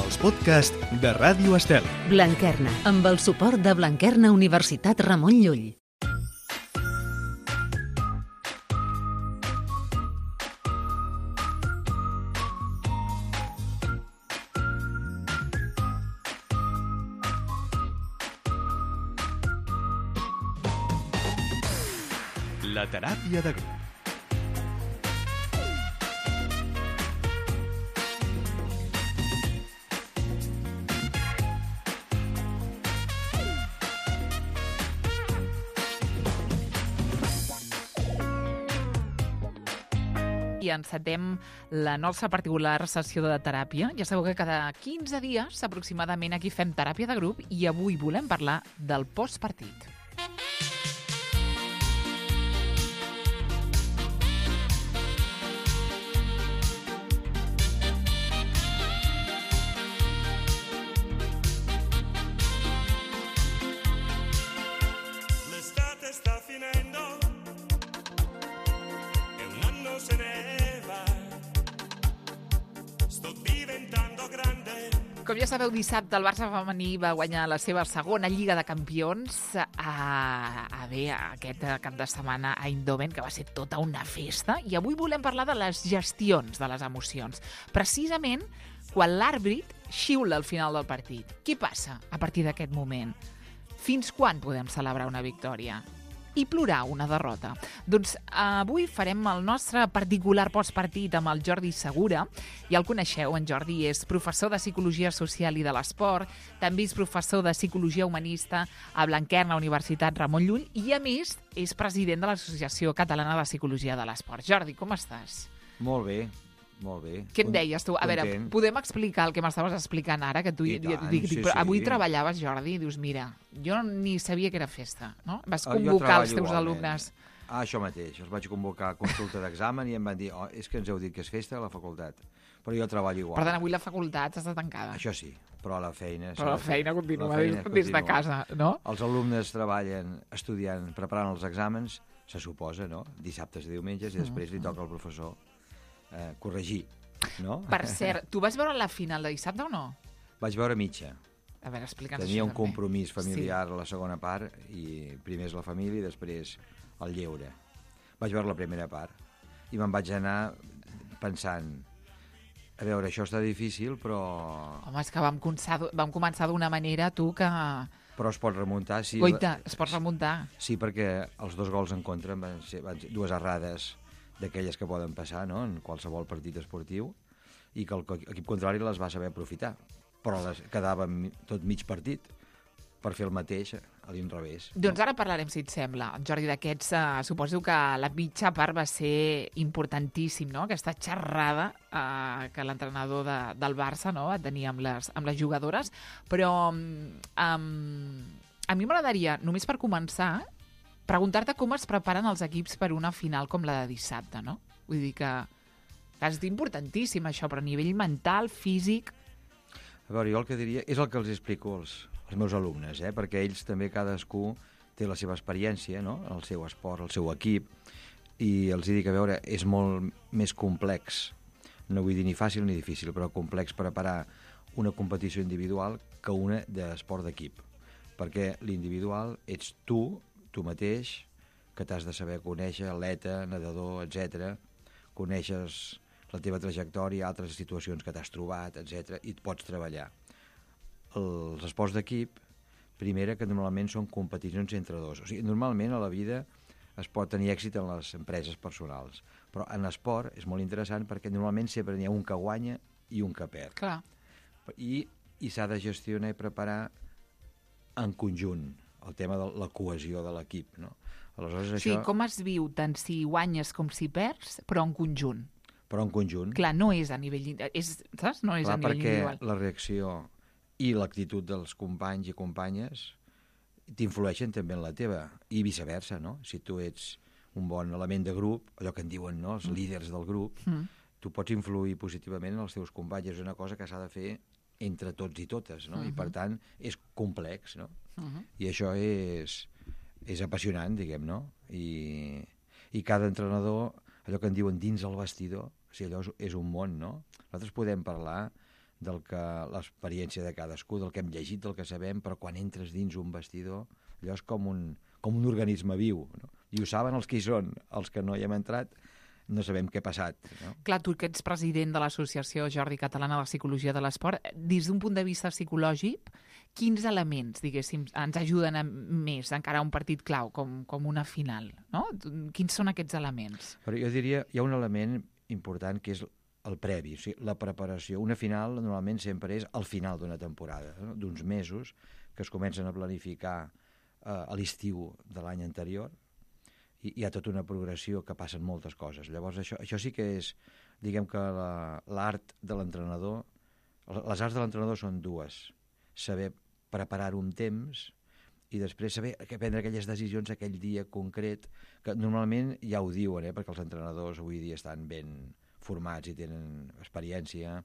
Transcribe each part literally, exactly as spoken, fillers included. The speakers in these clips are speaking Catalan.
els podcasts de Ràdio Estel. Blanquerna, amb el suport de Blanquerna Universitat Ramon Llull. La teràpia de grup. I encetem la nostra particular sessió de teràpia. Ja sabeu que cada quinze dies aproximadament aquí fem teràpia de grup i avui volem parlar del postpartit. Com ja sabeu, dissabte el Barça femení va guanyar la seva segona Lliga de Campions a, a bé, aquest cap de setmana a Eindhoven, que va ser tota una festa. I avui volem parlar de les gestions de les emocions. Precisament quan l'àrbit xiula al final del partit. Què passa a partir d'aquest moment? Fins quan podem celebrar una victòria? I plorar una derrota. Doncs avui farem el nostre particular postpartit amb el Jordi Segura. Ja el coneixeu, en Jordi és professor de Psicologia Social i de l'Esport, també és professor de Psicologia Humanista a Blanquerna Universitat Ramon Llull i, a més, és president de l'Associació Catalana de Psicologia de l'Esport. Jordi, com estàs? Molt bé, molt bé. Què em deies tu? A veure, podem explicar el que m'estaves explicant ara? Que tu, I tant, dic, sí, però sí. Avui treballaves, Jordi, i dius, mira, jo ni sabia que era festa, no? Vas convocar els teus igualment. alumnes. Ah, això mateix. Els vaig convocar a consulta d'examen i em van dir, oh, és que ens heu dit que és festa a la facultat. Però jo treballo igual. Per tant, avui la facultat està tancada. Això sí, però la feina... Però la feina continua, la feina des, des de casa, no? Els alumnes treballen estudiant, preparant els exàmens, se suposa, no? Dissabtes i diumenges, i després li toca al professor eh, corregir. No? Per cert, tu vas veure la final de dissabte o no? Vaig veure mitja. A veure, explica'ns Tenia això un també. compromís familiar Sí. a la segona part i primer és la família i després el lleure. Vaig veure la primera part i me'n vaig anar pensant, a veure, això està difícil, però... Home, és que vam, començar, vam començar d'una manera, tu, que... Però es pot remuntar. Sí, Goita, es pot remuntar. Sí, perquè els dos gols en contra van ser, van ser dues errades d'aquelles que poden passar, no?, en qualsevol partit esportiu, i que l'equip contrari les va saber aprofitar. Però les quedava tot mig partit per fer el mateix a l'inrevés. Doncs ara parlarem, si et sembla, Jordi, d'aquests. Uh, suposo que la mitja part va ser importantíssim, no?, aquesta xerrada uh, que l'entrenador de, del Barça, no?, va tenir amb les, amb les jugadores. Però um, a mi m'agradaria, només per començar, preguntar-te com es preparen els equips per una final com la de dissabte, no? Vull dir que, que és importantíssim això, però a nivell mental, físic... A veure, jo el que diria és el que els explico als, als meus alumnes, eh? Perquè ells també, cadascú, té la seva experiència, no?, el seu esport, el seu equip, i els dic, a veure, és molt més complex, no vull dir ni fàcil ni difícil, però complex preparar una competició individual que una d'esport d'equip. Perquè l'individual ets tu, tu mateix, que t'has de saber conèixer, atleta, nedador, etcètera. Coneixes la teva trajectòria, altres situacions que t'has trobat, etcètera, i et pots treballar. Els esports d'equip, primera, que normalment són competicions entre dos. O sigui, normalment a la vida es pot tenir èxit en les empreses personals, però en esport és molt interessant perquè normalment sempre n'hi ha un que guanya i un que perd. Clar. I, i s'ha de gestionar i preparar en conjunt el tema de la cohesió de l'equip, no? Aleshores, Sí, això... com es viu tant si guanyes com si perds, però en conjunt. Però en conjunt. Clar, no és a nivell, és, saps? No és Clar, a nivell perquè individual. la reacció i l'actitud dels companys i companyes t'influeixen també en la teva, i viceversa, no? Si tu ets un bon element de grup, allò que en diuen, no?, els mm. líders del grup, mm. tu pots influir positivament en els teus companys. És una cosa que s'ha de fer entre tots i totes, no? Uh-huh. I per tant és complex, no? Uh-huh. I això és, és apassionant, diguem, no? I, i cada entrenador, allò que en diuen dins el vestidor, o sigui, allò és, és un món, no? Nosaltres podem parlar del que l'experiència de cadascú, del que hem llegit, del que sabem, però quan entres dins un vestidor, allò és com un, com un organisme viu, no? I ho saben els que hi són, els que no hi hem entrat, no sabem què ha passat. No? Clar, tu que ets president de l'Associació Jordi Catalana de la Psicologia de l'Esport, des d'un punt de vista psicològic, quins elements, diguéssim, ens ajuden a més encara a un partit clau, com, com una final? No? Quins són aquests elements? Però jo diria, hi ha un element important que és el previ, o sigui, la preparació. Una final normalment sempre és al final d'una temporada, no? D'uns mesos que es comencen a planificar eh, a l'estiu de l'any anterior, i hi ha tota una progressió que passen moltes coses. Llavors, això, això sí que és, diguem que l'art de l'entrenador, les arts de l'entrenador són dues. Saber preparar un temps i després saber prendre aquelles decisions aquell dia concret, que normalment ja ho diuen, eh, perquè els entrenadors avui dia estan ben formats i tenen experiència.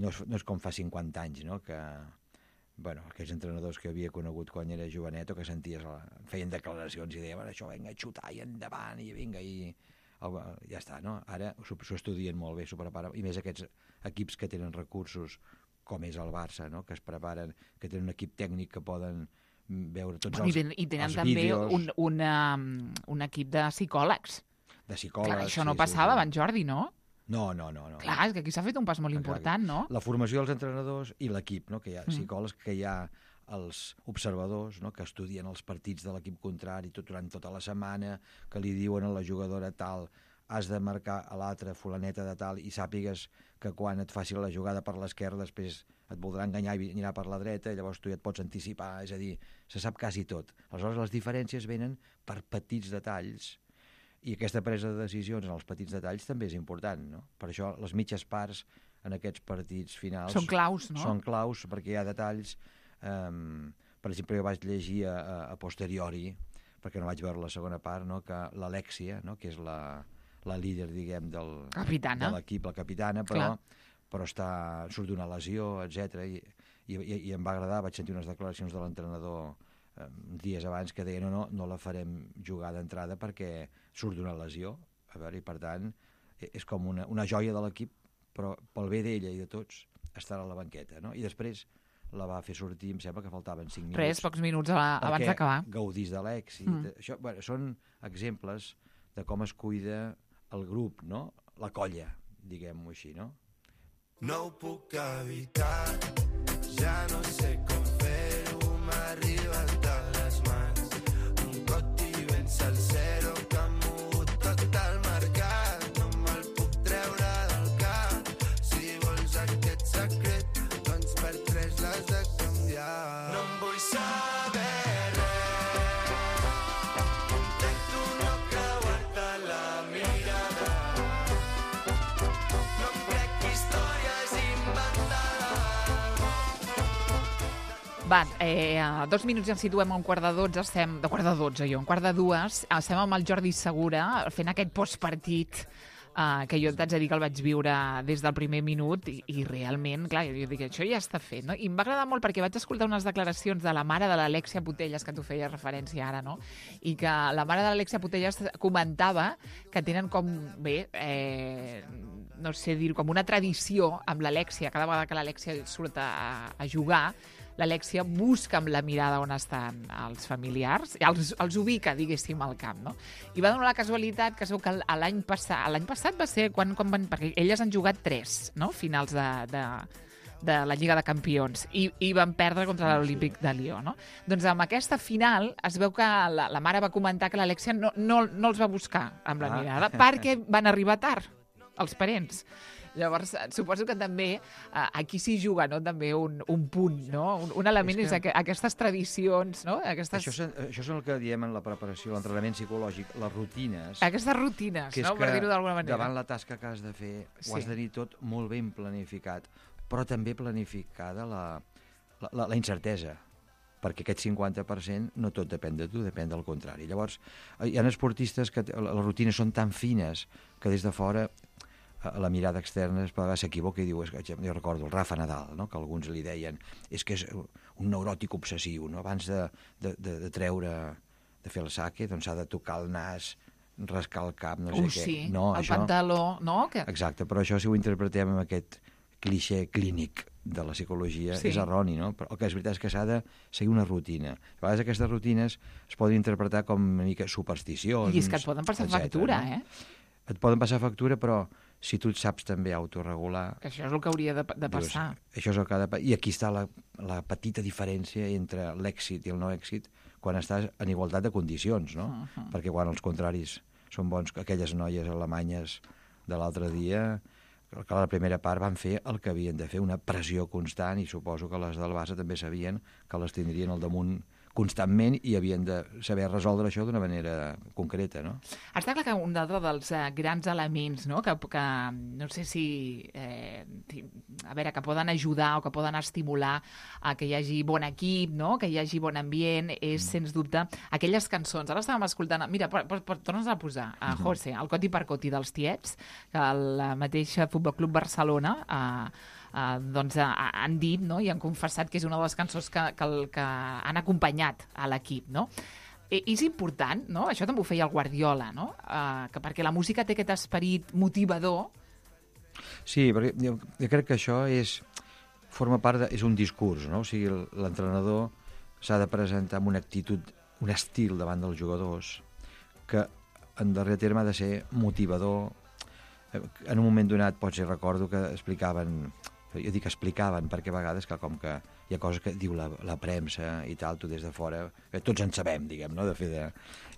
No és, no és com fa cinquanta anys, no?, que... Bueno, aquells entrenadors que havia conegut quan era jovenet o que senties, feien declaracions i deien, això, vinga, a xutar i endavant, i vinga, i ja està, no? Ara s'ho estudien molt bé, s'ho preparen, i més aquests equips que tenen recursos, com és el Barça, no?, que es preparen, que tenen un equip tècnic que poden veure tots els, I tenen els també vídeos. un, una, un equip de psicòlegs. De psicòlegs. Clar, això no sí, passava sí, sí. abans, Jordi, no? No, no, no. no. Clar, és que aquí s'ha fet un pas molt Clar, important, no? La formació dels entrenadors i l'equip, no?, que hi ha Mm. psicòlegs, que hi ha els observadors, no?, que estudien els partits de l'equip contrari tot durant tota la setmana, que li diuen a la jugadora tal, has de marcar a l'altra fulaneta de tal, i sàpigues que quan et faci la jugada per l'esquerra després et voldrà enganyar i anirà per la dreta, i llavors tu ja et pots anticipar, és a dir, se sap quasi tot. Aleshores les diferències venen per petits detalls, i aquesta presa de decisions en els petits detalls també és important, no? Per això les mitges parts en aquests partits finals Són claus, no? Són claus perquè hi ha detalls. Um, per exemple, jo vaig llegir a, a, a posteriori, perquè no vaig veure la segona part, no?, que l'Alexia, no?, que és la, la líder, diguem, del, Capitana. de l'equip, la capitana, però, però està, surt d'una lesió, etcètera. I, i, i em va agradar, vaig sentir unes declaracions de l'entrenador dies abans que deia no, no, no la farem jugar d'entrada perquè surt d'una lesió, a veure, i per tant és com una, una joia de l'equip, però pel bé d'ella i de tots estarà a la banqueta, no? I després la va fer sortir, em sembla que faltaven cinc minuts. Res, pocs minuts a, abans d'acabar. Gaudís de l'èxit. Mm. Això, bueno, són exemples de com es cuida el grup, no? La colla, diguem-ho així, no? No ho puc evitar, ja no sé com fer-ho, m'arriba de les mans. Un coti ben salsero que ha mogut tot el mercat. No me'l puc treure del cap. Si vols aquest secret, doncs per tres l'has de canviar. No em vull saber res. Intento no creuar-te la mirada. No em crec històries inventades. Va, eh, a dos minuts ja ens situem a un quart de dotze, estem, de quart de dotze jo, un quart de dues, estem amb el Jordi Segura fent aquest postpartit eh, que jo t'haig de dir que el vaig viure des del primer minut i, i realment, clar, jo dic, això ja està fet, no? I em va agradar molt perquè vaig escoltar unes declaracions de la mare de l'Alexia Putellas, que tu feies referència ara, no? I que la mare de l'Alexia Putellas comentava que tenen com, bé, eh, no sé dir, com una tradició amb l'Alexia, cada vegada que l'Alexia surt a, a jugar, l'Alexia busca amb la mirada on estan els familiars, i els, els ubica, diguéssim, al camp, no? I va donar la casualitat que es veu que l'any passat, l'any passat va ser quan, quan van, perquè elles han jugat tres, no?, finals de, de, de la Lliga de Campions, i, i van perdre contra l'Olímpic de Lió, no? Doncs amb aquesta final es veu que la, la mare va comentar que l'Alexia no, no, no els va buscar amb la Ah. mirada, perquè van arribar tard, els parents. Llavors, suposo que també eh, aquí s'hi juga, no?, també un, un punt, no? Un, un element és, És és que- aqu aquestes tradicions, no? Aquestes, Això, són- això és el que diem en la preparació, l'entrenament psicològic, les rutines. aquestes rutines, que és no?, per que dir-ho d'alguna manera. davant la tasca que has de fer Sí. ho has de tenir tot molt ben planificat, però també planificada la, la, la, la incertesa, perquè aquest cinquanta per cent no tot depèn de tu, depèn del contrari. Llavors, hi ha esportistes que t- les rutines són tan fines que des de fora a la mirada externa es vegades s'equivoca i diu, és que, jo recordo el Rafa Nadal, no?, que alguns li deien és que és un neuròtic obsessiu, no?, abans de, de, de, de treure, de fer el saque, doncs s'ha de tocar el nas, rascar el cap, no sé Uh, què. sí, No, el això... pantaló, no? Que... Exacte, però això si ho interpretem amb aquest clixé clínic de la psicologia Sí. és erroni, no? Però el que és veritat és que s'ha de seguir una rutina. A vegades aquestes rutines es poden interpretar com una mica supersticions, I és que et poden passar etcètera, factura, no? eh? Et poden passar factura, però si tu et saps també autorregular... Que això és el que hauria de, de passar. Dius, això és el que ha de... pa- I aquí està la, la petita diferència entre l'èxit i el no èxit quan estàs en igualtat de condicions, no? Uh -huh. Perquè quan els contraris són bons, aquelles noies alemanyes de l'altre dia, que la primera part van fer el que havien de fer, una pressió constant, i suposo que les del Barça també sabien que les tindrien al damunt constantment i havien de saber resoldre això d'una manera concreta, no? Està clar que un altre dels eh, grans elements, no?, que, que no sé si, eh, a veure, que poden ajudar o que poden estimular a que hi hagi bon equip, no?, que hi hagi bon ambient, és, mm. sens dubte, aquelles cançons. Ara estàvem escoltant... Mira, por, por, por, tornes a posar a José, el Coti per Coti dels Tiets, que el mateix Futbol Club Barcelona... Eh, Uh, doncs uh, han dit, no?, i han confessat que és una de les cançons que, que, el, que han acompanyat a l'equip, no? I, és important, no?, això també ho feia el Guardiola, no?, uh, que perquè la música té aquest esperit motivador. Sí, perquè jo, jo crec que això és forma part de, és un discurs, no? O sigui, l'entrenador s'ha de presentar amb una actitud, un estil davant dels jugadors que en darrer terme ha de ser motivador. En un moment donat, potser recordo que explicaven, jo dic explicaven perquè a vegades que com que hi ha coses que diu la, la premsa i tal, tu des de fora, que tots en sabem, diguem, no?, de fer de...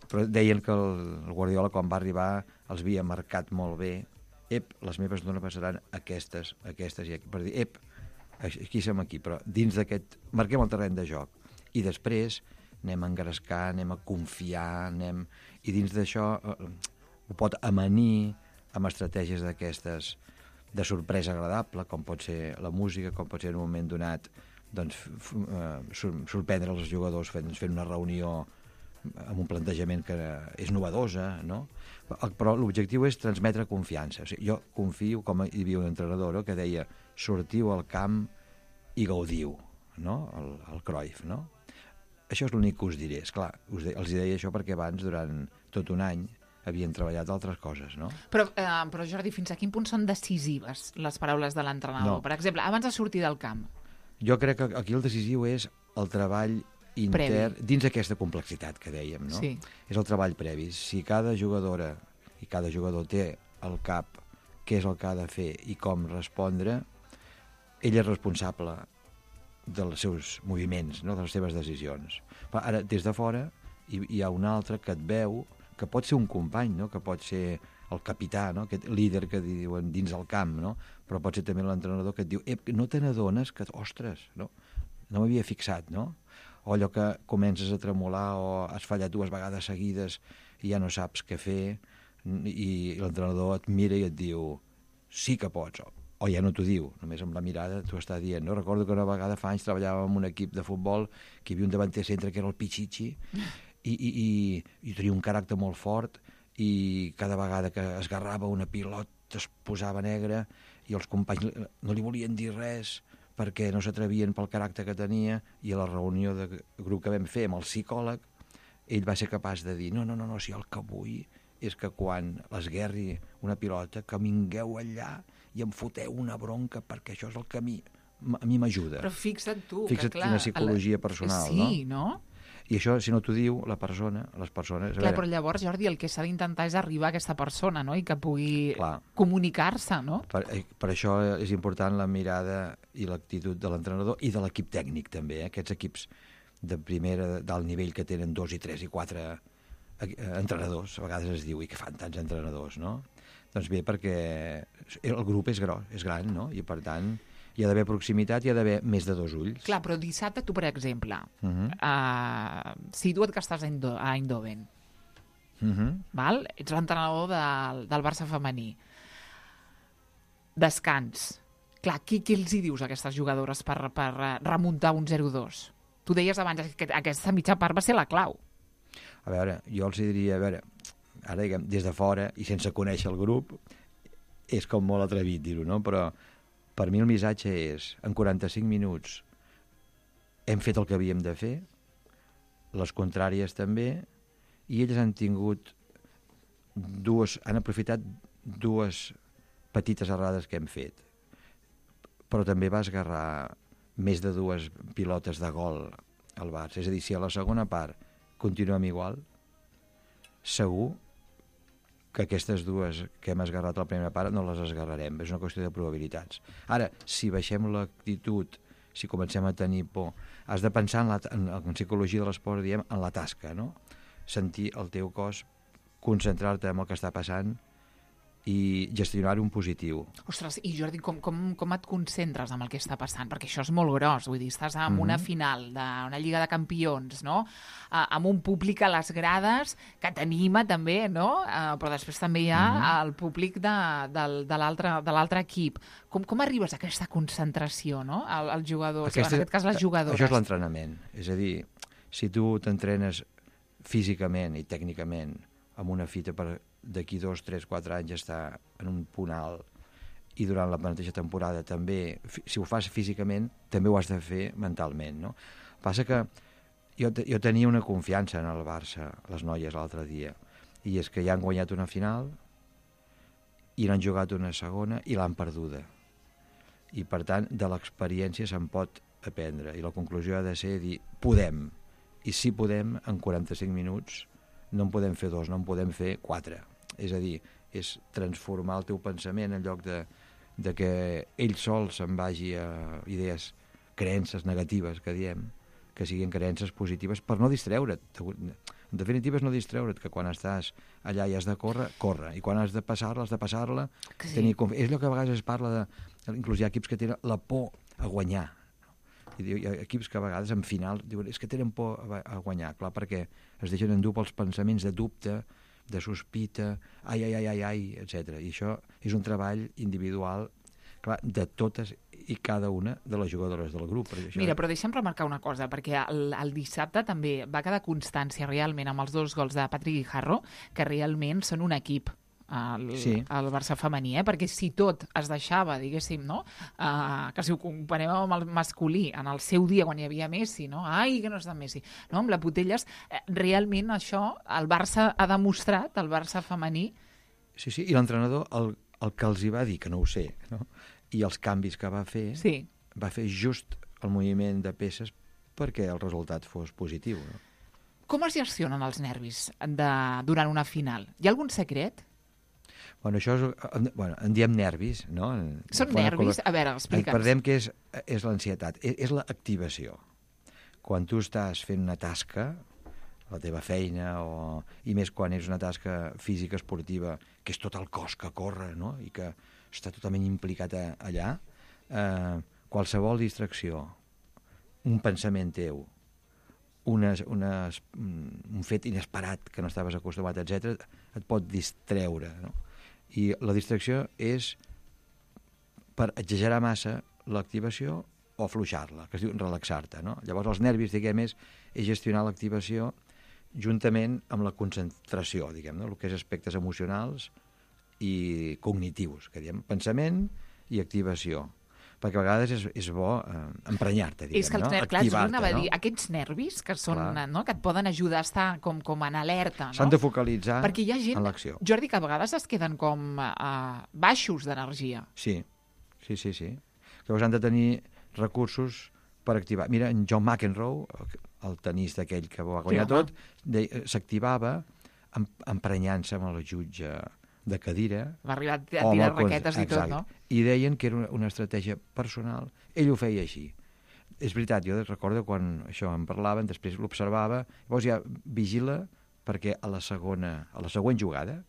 Però deien que el, el Guardiola, quan va arribar, els havia marcat molt bé. Ep, les meves dones passaran aquestes, aquestes i aquestes, per dir, ep, aquí som aquí, però dins d'aquest... Marquem el terreny de joc. I després anem a engrescar, anem a confiar, anem... I dins d'això eh, ho pot amanir amb estratègies d'aquestes de sorpresa agradable, com pot ser la música, com pot ser en un moment donat doncs, sorprendre els jugadors fent, fent una reunió amb un plantejament que és novedosa, no? Però l'objectiu és transmetre confiança. O sigui, jo confio, com hi havia un entrenador, no?, que deia sortiu al camp i gaudiu, no?, el, el Cruyff, no? Això és l'únic que us diré. Esclar, us de, els deia això perquè abans, durant tot un any, havien treballat altres coses, no? Però, eh, però Jordi, fins a quin punt són decisives les paraules de l'entrenador? No. Per exemple, abans de sortir del camp. Jo crec que aquí el decisiu és el treball intern, Previ. dins aquesta complexitat que dèiem, no? Sí. És el treball previ. Si cada jugadora i cada jugador té al cap què és el que ha de fer i com respondre, ell és responsable dels seus moviments, no?, de les seves decisions. Però ara, des de fora, hi, hi ha un altre que et veu, que pot ser un company, no?, que pot ser el capità, no?, aquest líder que diuen dins el camp, no?, però pot ser també l'entrenador que et diu, ep, no te n'adones que, ostres, no, no m'havia fixat, no? O allò que comences a tremolar o has fallat dues vegades seguides i ja no saps què fer i l'entrenador et mira i et diu, sí que pots, o, o ja no t'ho diu, només amb la mirada t'ho està dient, no? Recordo que una vegada fa anys treballàvem en un equip de futbol que hi havia un davanter centre que era el Pichichi, i, i, i, i tenia un caràcter molt fort i cada vegada que esgarrava una pilota es posava negre i els companys no li volien dir res perquè no s'atrevien pel caràcter que tenia, i a la reunió de grup que vam fer amb el psicòleg ell va ser capaç de dir no, no, no, no si el que vull és que quan l'esguerri una pilota que vingueu allà i em foteu una bronca perquè això és el que a mi, a mi m'ajuda. Però fixa't tu, Fixa't que clar... quina psicologia personal, sí, no? Sí, no? I això, si no t'ho diu la persona, les persones... Clar, però llavors, Jordi, el que s'ha d'intentar és arribar a aquesta persona, no?, i que pugui Clar. comunicar-se, no? Per, per això és important la mirada i l'actitud de l'entrenador i de l'equip tècnic, també. Eh? Aquests equips de primera, d'alt nivell, que tenen dos i tres i quatre eh, entrenadors, a vegades es diu, i que fan tants entrenadors, no? Doncs bé, perquè el grup és gros, és gran, no? I per tant... hi ha d'haver proximitat, hi ha d'haver més de dos ulls. Clar, però dissabte tu, per exemple, Uh -huh. uh, situa't que estàs a, Indo a Eindhoven, Uh -huh. val? Ets l'entrenador del, del Barça femení. Descans. Clar, què, què els hi dius a aquestes jugadores per, per remuntar un zero dos? Tu deies abans que aquesta mitja part va ser la clau. A veure, jo els diria, a veure, ara diguem, des de fora i sense conèixer el grup, és com molt atrevit dir-ho, no? Però per mi el missatge és, en quaranta-cinc minuts hem fet el que havíem de fer, les contràries també, i elles han tingut dues, han aprofitat dues petites errades que hem fet. però també va esgarrar més de dues pilotes de gol al Barça. És a dir, si a la segona part continuem igual, segur que aquestes dues que hem esgarrat a la primera part no les esgarrarem. És una qüestió de probabilitats. Ara, si baixem l'actitud, si comencem a tenir por, has de pensar en, la, en, en psicologia de l'esport, diem, en la tasca, no? Sentir el teu cos, concentrar-te en el que està passant i gestionar-ho en positiu. Ostres, i Jordi, com, com, com et concentres amb el que està passant? Perquè això és molt gros, vull dir, estàs en Mhm. una final d'una Lliga de Campions, no? Uh, amb un públic a les grades que t'anima també, no? Uh, però després també hi ha Mhm. el públic de, de, de l'altre de l'altre equip. Com, com arribes a aquesta concentració, no? El, els jugadors, Aquesta- en aquest cas les jugadores. Això és l'entrenament. És a dir, si tu t'entrenes físicament i tècnicament amb una fita per d'aquí dos, tres, quatre anys estar en un punt alt i durant la mateixa temporada també, fi- si ho fas físicament, també ho has de fer mentalment, no? Passa que jo, te- jo tenia una confiança en el Barça, les noies, l'altre dia, i és que ja han guanyat una final i n'han jugat una segona i l'han perduda. I, per tant, de l'experiència se'n pot aprendre. I la conclusió ha de ser dir, podem. I si podem, en quaranta-cinc minuts, no en podem fer dos, no en podem fer quatre. És a dir, és transformar el teu pensament en lloc de, de que ell sol se'n vagi a idees, creences negatives, que diem, que siguin creences positives, per no distreure't. En definitiva és no distreure't, que quan estàs allà i has de córrer, corre. I quan has de passar-la, has de passar-la. Que sí. Tenir confi- és allò que a vegades es parla de... Inclús hi ha equips que tenen la por a guanyar. I diu, hi ha equips que a vegades en final diuen és que tenen por a, a guanyar, clar, perquè es deixen endur pels pensaments de dubte, de sospita, ai, ai, ai, ai, ai, etcètera. I això és un treball individual, clar, de totes i cada una de les jugadores del grup. Perquè això... Mira, però deixa'm remarcar una cosa, perquè el, el dissabte també va quedar constància realment amb els dos gols de Patrick Guijarro, que realment són un equip, el, Sí. el Barça femení, eh? Perquè si tot es deixava, diguéssim, no? Uh, que si ho comparem amb el masculí, en el seu dia, quan hi havia Messi, no? Ai, que no està Messi, no? Amb la Putelles, eh, realment això, el Barça ha demostrat, el Barça femení, Sí, sí, i l'entrenador, el, el que els hi va dir, que no ho sé, no? I els canvis que va fer, sí. va fer just el moviment de peces perquè el resultat fos positiu, no? Com es gestionen els nervis de, durant una final? Hi ha algun secret? Bueno, això és, en- bueno, en diem nervis, no? En- Són quan- nervis? A veure, explica'ns. Perdem que és, és l'ansietat, és, és l'activació. Quan tu estàs fent una tasca, la teva feina, o, i més quan és una tasca física, esportiva, que és tot el cos que corre, no? I que està totalment implicat a, allà, eh, qualsevol distracció, un pensament teu, unes, unes, un fet inesperat que no estaves acostumat, etcètera, et pot distreure, no? I la distracció és per exagerar massa l'activació o afluixar-la, que es diu relaxar-te, no? Llavors els nervis, diguem, és, és gestionar l'activació juntament amb la concentració, diguem, no? El que és aspectes emocionals i cognitius, que diem, pensament i activació. Perquè a vegades és, és bo eh, emprenyar-te, diguem, És que els no? nervis, clar, és Activar-te, anava a dir, no? aquests nervis que són, Clar. no, que et poden ajudar a estar com, com en alerta, no? S'han de focalitzar Perquè hi ha gent, en l'acció. Jordi, que a vegades es queden com uh, baixos d'energia. Sí, sí, sí, sí. Llavors han de tenir recursos per activar. Mira, en John McEnroe, el tenista aquell que va guanyar Sí, home. tot, de- s'activava em- emprenyant-se amb el jutge de cadira. Va arribar a o amb tirar el cons- raquetes i tot, Exacte. no? I deien que era una, una estratègia personal. Ell ho feia així. És veritat, jo recordo quan això en parlaven, després l'observava, llavors ja vigila perquè a la segona, a la següent jugada,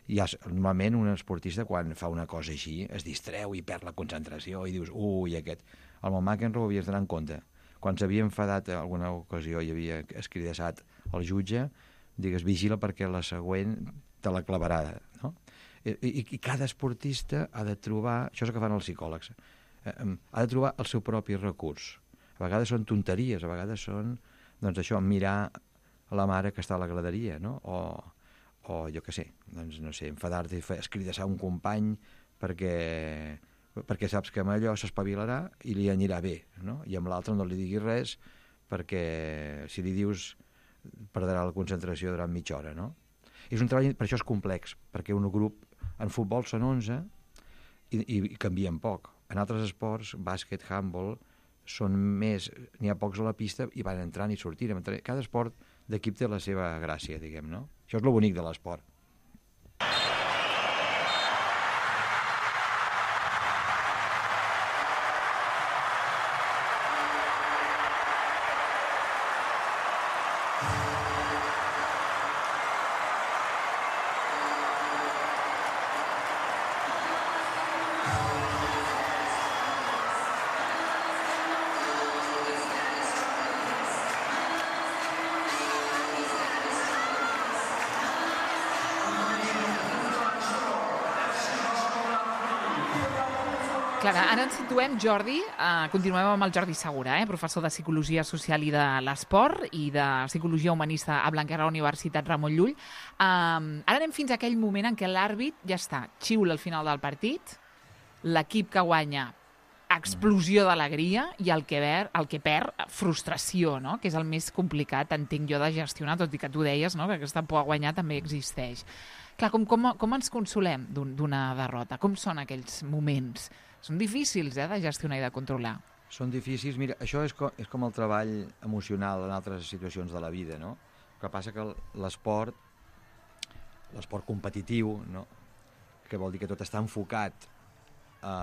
ja, normalment un esportista quan fa una cosa així es distreu i perd la concentració i dius, ui, aquest... El McEnroe ho havies d'anar en compte. Quan s'havia enfadat en alguna ocasió i havia escridassat el jutge, digues, vigila perquè la següent te la clavarà, no? I, i, i cada esportista ha de trobar, això és el que fan els psicòlegs, eh, em, ha de trobar el seu propi recurs. A vegades són tonteries, a vegades són, doncs això, mirar la mare que està a la graderia, no? O, o jo què sé, doncs no sé, enfadar-te i fer- escridassar un company perquè, perquè saps que amb allò s'espavilarà i li anirà bé, no? I amb l'altre no li diguis res perquè si li dius perdrà la concentració durant mitja hora, no? És un treball, per això és complex, perquè un grup en futbol són onze i, i, i canvien poc, en altres esports, bàsquet, handball, són més, n'hi ha pocs a la pista i van entrant i sortint. Cada esport d'equip té la seva gràcia, diguem, no? Això és lo bonic de l'esport. Clara, ara ens situem, Jordi, eh, continuem amb el Jordi Segura, eh, professor de Psicologia Social i de l'Esport i de Psicologia Humanista a Blanquerna Universitat Ramon Llull. Eh, ara anem fins a aquell moment en què l'àrbit ja està, xiula al final del partit, l'equip que guanya, explosió d'alegria, i el que, ver, el que perd, frustració, no? Que és el més complicat, entenc jo, de gestionar, tot i que tu deies, no? Que aquesta por a guanyar també existeix. Clar, com, com, com ens consolem d'una derrota? Com són aquells moments? Són difícils, eh, de gestionar i de controlar. Són difícils. Mira, això és com, és com el treball emocional en altres situacions de la vida, no? El que passa que l'esport, l'esport competitiu, no? Que vol dir que tot està enfocat a,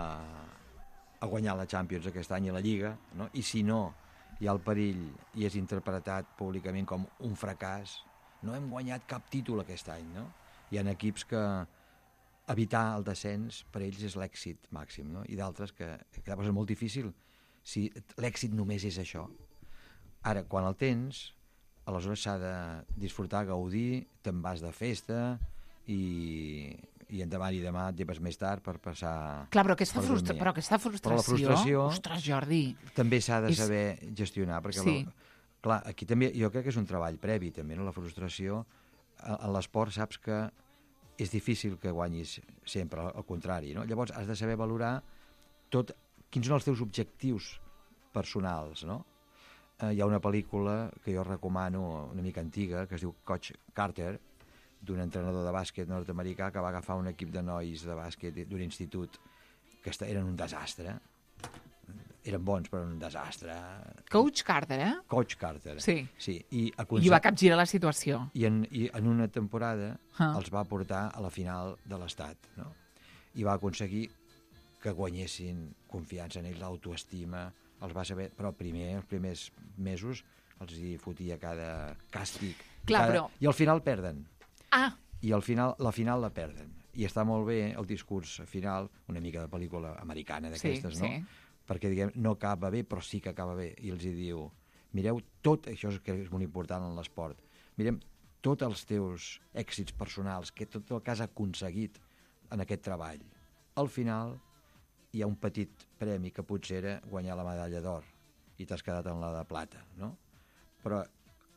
a guanyar la Champions aquest any i la Lliga, no? I si no hi ha el perill i és interpretat públicament com un fracàs, no hem guanyat cap títol aquest any, no? Hi ha equips que evitar el descens per ells és l'èxit màxim, no? I d'altres que, que és molt difícil si l'èxit només és això. Ara, quan el tens, aleshores s'ha de disfrutar, gaudir, te'n vas de festa i, i endavant i demà et lleves més tard per passar... Clar, però aquesta, frustra però aquesta frustració... Però la frustració... Ostres, Jordi... També s'ha de és... saber gestionar, perquè... Sí. La, clar, aquí també jo crec que és un treball previ, també, no? La frustració, a, a l'esport saps que és difícil que guanyis sempre, al contrari, no? Llavors has de saber valorar tot, quins són els teus objectius personals, no? Eh, hi ha una pel·lícula que jo recomano, una mica antiga, que es diu Coach Carter, d'un entrenador de bàsquet nord-americà que va agafar un equip de nois de bàsquet d'un institut que eren un desastre. Eren bons, però un desastre. Coach Carter, eh? Coach Carter. Sí. Sí. I, I va capgirar la situació. I en, i en una temporada ah. els va portar a la final de l'Estat, no? I va aconseguir que guanyessin confiança en ells, l'autoestima, els va saber, però primer, els primers mesos, els hi fotia cada càstig. Clar, cada... però... I al final perden. Ah! I al final, la final la perden. I està molt bé el discurs final, una mica de pel·lícula americana d'aquestes, sí, no? Sí. Perquè, diguem, no acaba bé, però sí que acaba bé. I els hi diu, mireu tot, això és que és molt important en l'esport, mirem tots els teus èxits personals, que tot el que has aconseguit en aquest treball. Al final hi ha un petit premi que potser era guanyar la medalla d'or i t'has quedat en la de plata, no? Però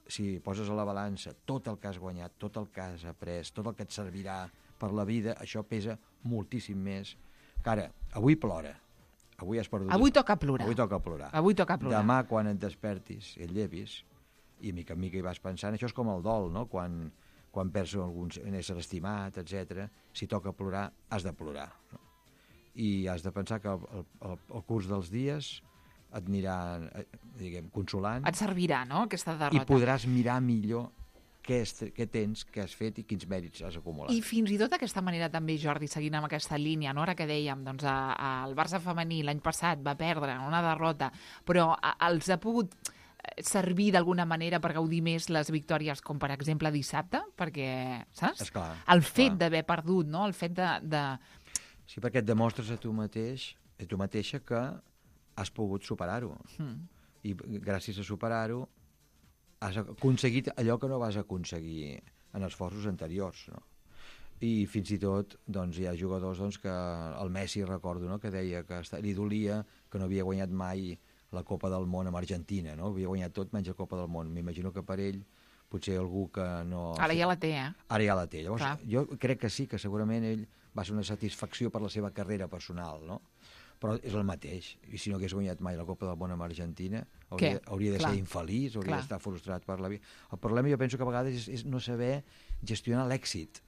si poses a la balança tot el que has guanyat, tot el que has après, tot el que et servirà per la vida, això pesa moltíssim més. Que ara, avui plora, avui has perdut... Avui toca plorar. Avui toca plorar. Avui toca plorar. Demà, quan et despertis i et llevis, i mica en mica hi vas pensant, això és com el dol, no? Quan, quan perds algun ésser estimat, etcètera, si toca plorar, has de plorar, no? I has de pensar que el, el, el curs dels dies et anirà, diguem, consolant. Et servirà, no?, aquesta derrota. I podràs mirar millor què, és, què tens, què has fet i quins mèrits has acumulat. I fins i tot aquesta manera també, Jordi, seguint amb aquesta línia, no? Ara que dèiem, doncs, a, a, el Barça femení l'any passat va perdre en una derrota, però a, els ha pogut servir d'alguna manera per gaudir més les victòries, com per exemple dissabte, perquè, saps? Esclar, el fet esclar. d'haver perdut, no? El fet de, de... Sí, perquè et demostres a tu mateix, a tu mateixa, que has pogut superar-ho. Mm. I gràcies a superar-ho has aconseguit allò que no vas aconseguir en esforços anteriors, no? I fins i tot doncs, hi ha jugadors doncs, que el Messi, recordo, no? Que deia que li dolia que no havia guanyat mai la Copa del Món amb Argentina, no? Havia guanyat tot menys la Copa del Món. M'imagino que per ell potser algú que no... Ara ja la té, eh? Ara ja la té. Llavors, Clar. jo crec que sí, que segurament ell va ser una satisfacció per la seva carrera personal, no? Però és el mateix. I si no hagués guanyat mai la Copa del Món amb Argentina, hauria, hauria de Clar. ser infeliç, hauria Clar. d'estar frustrat per la vida. El problema jo penso que a vegades és, és no saber gestionar l'èxit.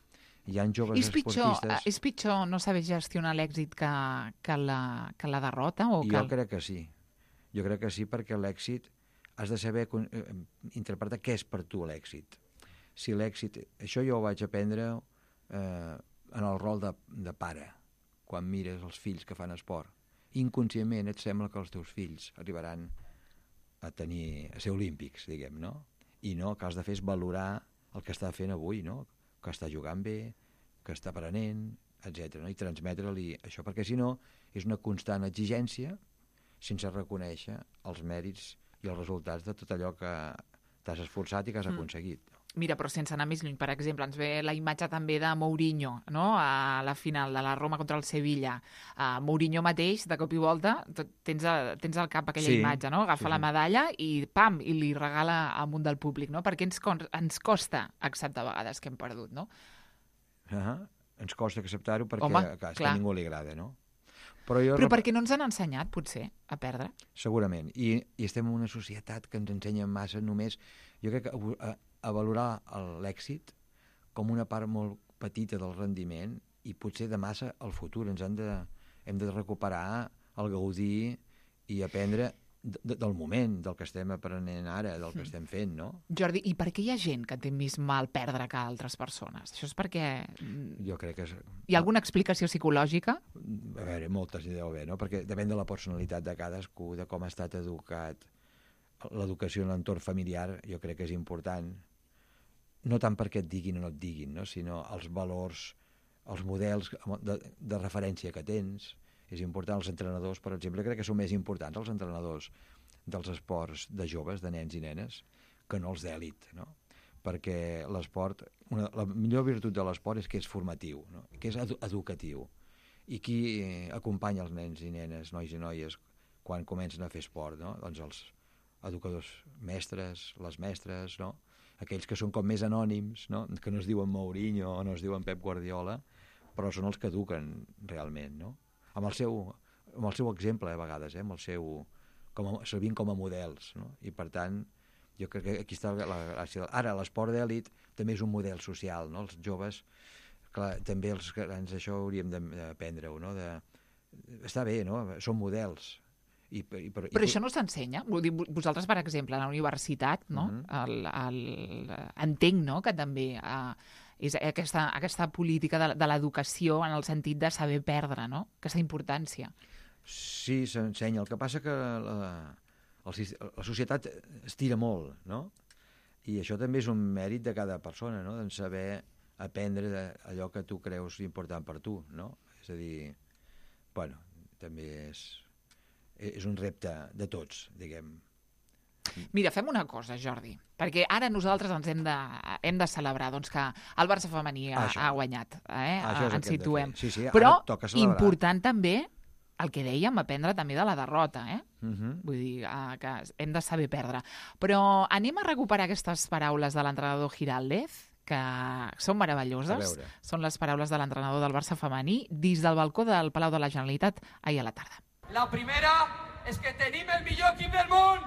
Hi ha joves És pitjor, esportistes... és pitjor no saber gestionar l'èxit que, que, la, que la derrota? O que Jo el... crec que sí. Jo crec que sí, perquè l'èxit has de saber eh, interpretar què és per tu l'èxit. Si l'èxit... Això jo ho vaig aprendre eh, en el rol de, de pare, quan mires els fills que fan esport. Inconscientment et sembla que els teus fills arribaran a tenir a ser olímpics, diguem, no? I no, el que has de fer és valorar el que està fent avui, no? Que està jugant bé, que està aprenent, etcètera. No? I transmetre-li això, perquè si no és una constant exigència sense reconèixer els mèrits i els resultats de tot allò que t'has esforçat i que has aconseguit. Mm. Mira, però sense anar més lluny, per exemple, ens ve la imatge també de Mourinho, no?, a la final de la Roma contra el Sevilla. Uh, Mourinho mateix, de cop i volta, tens, a, tens al cap aquella sí, imatge, no?, agafa sí, la sí. medalla i, pam, i li regala al munt del públic, no?, perquè ens, ens costa acceptar a vegades que hem perdut, no? Uh -huh. Ens costa acceptar-ho perquè Home, clar, clar. a ningú li agrada, no? Però, jo Però rep... perquè no ens han ensenyat, potser, a perdre? Segurament. I, i estem en una societat que ens ensenya massa només... Jo crec que a, a valorar l'èxit com una part molt petita del rendiment i potser de massa al futur. Ens han de, hem de recuperar el gaudir i aprendre de, del moment, del que estem aprenent ara, del que estem fent, no? Jordi, i per què hi ha gent que té més mal perdre que altres persones? Això és perquè... Jo crec que és... Hi ha alguna explicació psicològica? A veure, moltes hi deu haver, no? Perquè depèn de la personalitat de cadascú, de com ha estat educat. L'educació en l'entorn familiar jo crec que és important. No tant perquè et diguin o no et diguin, no? Sinó els valors, els models de, de referència que tens. És important. Els entrenadors, per exemple, crec que són més importants els entrenadors dels esports de joves, de nens i nenes, que no els d'èlit, no? Perquè l'esport, una, la millor virtut de l'esport és que és formatiu, no? Que és edu educatiu. I qui eh, acompanya els nens i nenes, nois i noies, quan comencen a fer esport, no? Doncs els educadors mestres, les mestres, no? Aquells que són com més anònims, no? Que no es diuen Mourinho o no es diuen Pep Guardiola, però són els que eduquen realment, no? Amb el seu, amb el seu exemple, a vegades, eh? Amb el seu, com a, servint com a models, no? I per tant, jo crec que aquí està la gràcia. Ara, l'esport d'èlit també és un model social, no? Els joves, clar, també els grans, això hauríem d'aprendre-ho, no? De, està bé, no? Són models. I, i, però, però i... això no s'ensenya? Vosaltres, per exemple, a la universitat, no? Uh-huh. el, el, entenc, no?, que també uh, és aquesta, aquesta política de, de l'educació en el sentit de saber perdre, no?, aquesta importància. Sí, s'ensenya. El que passa que la, el, la societat estira molt, no? I això també és un mèrit de cada persona, no?, de saber aprendre allò que tu creus important per tu, no? És a dir, bueno, també és... és un repte de tots, diguem. Mira, fem una cosa, Jordi, perquè ara nosaltres ens hem de, hem de celebrar doncs, que el Barça femení ha, ha guanyat, eh? Ens situem. Sí, sí, però important també el que dèiem, aprendre també de la derrota, eh? Uh-huh. Vull dir, uh, que hem de saber perdre. Però anem a recuperar aquestes paraules de l'entrenador Giraldez, que són meravelloses. Són les paraules de l'entrenador del Barça femení dins del balcó del Palau de la Generalitat ahir a la tarda. La primera és que tenim el millor equip del món!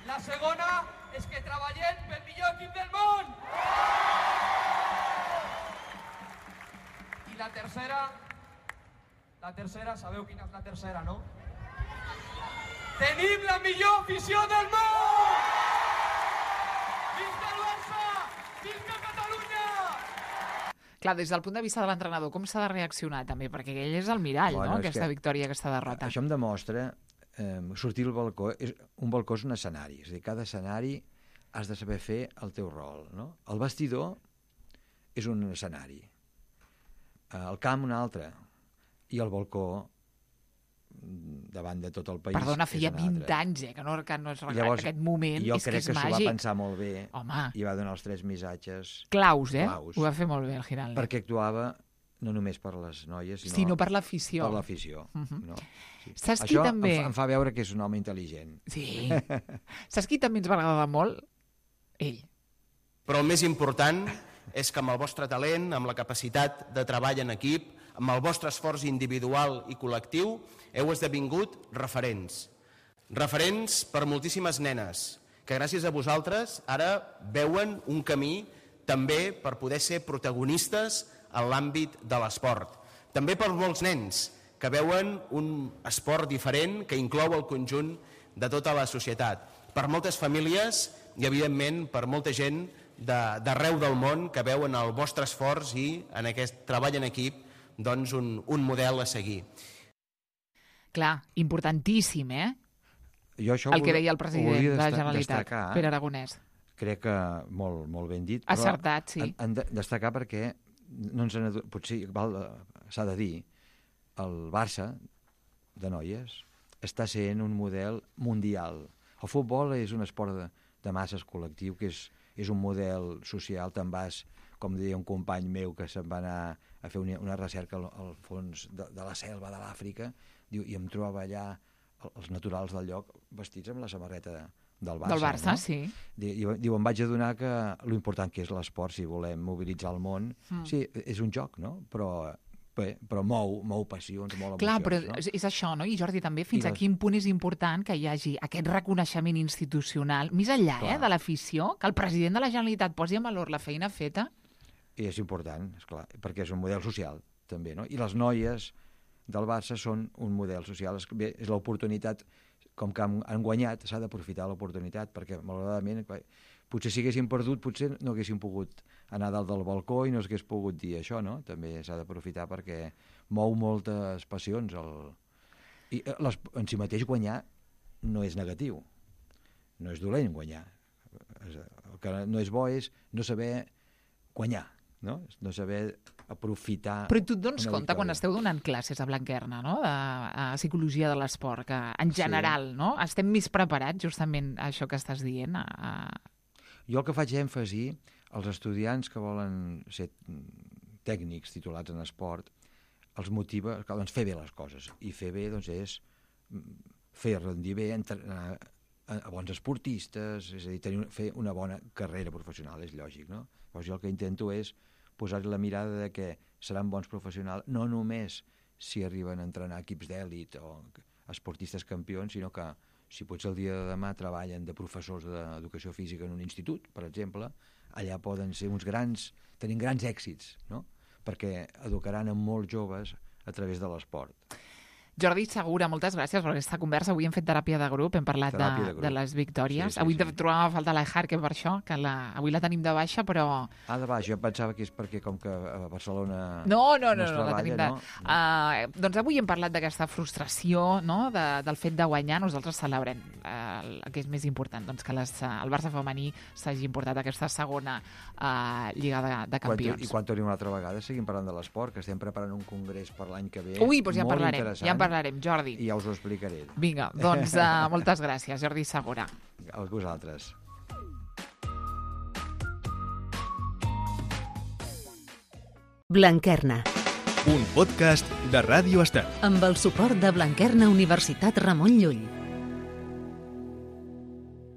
La segona és que treballem pel millor equip del món! I la tercera... La tercera, sabeu quina és la tercera, no? Tenim la millor afició del món! Visca el Barça! Visca Catalunya! Clar, des del punt de vista de l'entrenador, com s'ha de reaccionar també? Perquè ell és el mirall, bueno, no?, aquesta victòria, aquesta derrota. Això em demostra, eh, sortir al balcó, és, un balcó és un escenari, és a dir, cada escenari has de saber fer el teu rol, no? El vestidor és un escenari, el camp un altre, i el balcó davant de tot el país. Perdona, feia vint anys, eh, que no, que no es recorda aquest moment, és que és màgic. Jo crec que s'ho va pensar molt bé. Home. I va donar els tres missatges claus, eh? Claus. Ho va fer molt bé, el Giraldez. Perquè actuava no només per les noies, sinó, sinó per l'afició. Per l'afició. Uh-huh. No? Sí. Saps qui Això també... em, fa, em fa veure que és un home intel·ligent. Sí. Saps qui també ens va agradar molt? Ell. Però el més important és que amb el vostre talent, amb la capacitat de treball en equip, amb el vostre esforç individual i col·lectiu, heu esdevingut referents. Referents per moltíssimes nenes que gràcies a vosaltres ara veuen un camí també per poder ser protagonistes en l'àmbit de l'esport. També per molts nens que veuen un esport diferent que inclou el conjunt de tota la societat. Per moltes famílies i, evidentment, per molta gent d'arreu del món que veuen el vostre esforç i en aquest treball en equip doncs un, un model a seguir. Clar, importantíssim, eh? Jo això el que deia el president de la Generalitat, destacar, Pere Aragonès. Crec que molt, molt ben dit. Acertat, sí. Han, han de destacar perquè no ens han, potser s'ha de dir, el Barça de noies està sent un model mundial. El futbol és un esport de, de masses col·lectiu, que és, és un model social. Te'n vas, com deia un company meu que se'n va anar a fer una, una recerca al, al fons de, de la selva de l'Àfrica, diu, i em trobava allà els naturals del lloc vestits amb la samarreta del Barça. Del Barça, no? sí. Diu, diu, em vaig adonar que lo important que és l'esport, si volem mobilitzar el món, mm. sí, és un joc, no? Però, bé, però mou, mou passions, mou emocions. Clar, però no? és, és això, no? I Jordi, també, fins I a les... quin punt és important que hi hagi aquest reconeixement institucional, més enllà eh, de l'afició, que el president de la Generalitat posi en valor la feina feta? I és important, esclar, perquè és un model social, també, no? I les noies del Barça són un model social. Bé, és l'oportunitat, com que han, han guanyat, s'ha d'aprofitar l'oportunitat, perquè malauradament, potser si haguessin perdut, potser no haguessin pogut anar dalt del balcó i no s'hagués pogut dir això, no? També s'ha d'aprofitar perquè mou moltes passions. El... I les, en si mateix guanyar no és negatiu, no és dolent guanyar. El que no és bo és no saber guanyar, no? No saber aprofitar... Però tu et dones compte victòria. Quan esteu donant classes a Blanquerna, no? de, de psicologia de l'esport, que en general sí. no? estem més preparats justament a això que estàs dient? A, a... Jo el que faig èmfasi als estudiants que volen ser tècnics titulats en esport, els motiva que, doncs, fer bé les coses. I fer bé doncs, és fer rendir bé, entrenar a bons esportistes, és a dir, tenir, fer una bona carrera professional, és lògic, no? Llavors jo el que intento és posar-hi la mirada de que seran bons professionals, no només si arriben a entrenar equips d'èlit o esportistes campions, sinó que si potser el dia de demà treballen de professors d'educació física en un institut, per exemple, allà poden ser uns grans, tenint grans èxits, no? Perquè educaran a molts joves a través de l'esport. Jordi Segura, moltes gràcies per aquesta conversa. Avui hem fet teràpia de grup, hem parlat de, de, de les victòries. Sí, sí, avui sí. trobàvem a faltar la Jarque per això, que la, avui la tenim de baixa, però... Ah, de baixa, jo pensava que és perquè com que a Barcelona no, no, no, no es no, treballa, la tenim de... no? Uh, doncs avui hem parlat d'aquesta frustració, no?, de, del fet de guanyar. Nosaltres celebrem uh, el que és més important, doncs que les, uh, el Barça femení s'hagi importat aquesta segona uh, Lliga de, de Campions. Quan, I quan tornem una altra vegada seguim parlant de l'esport, que estem preparant un congrés per l'any que ve. Ui, doncs ja en parlarem, interessant. ja en parlarem, Jordi. I ja us ho explicaré. Vinga, doncs uh, moltes gràcies, Jordi Segura. A vosaltres. Blanquerna. Un podcast de Ràdio Estel. Amb el suport de Blanquerna Universitat Ramon Llull.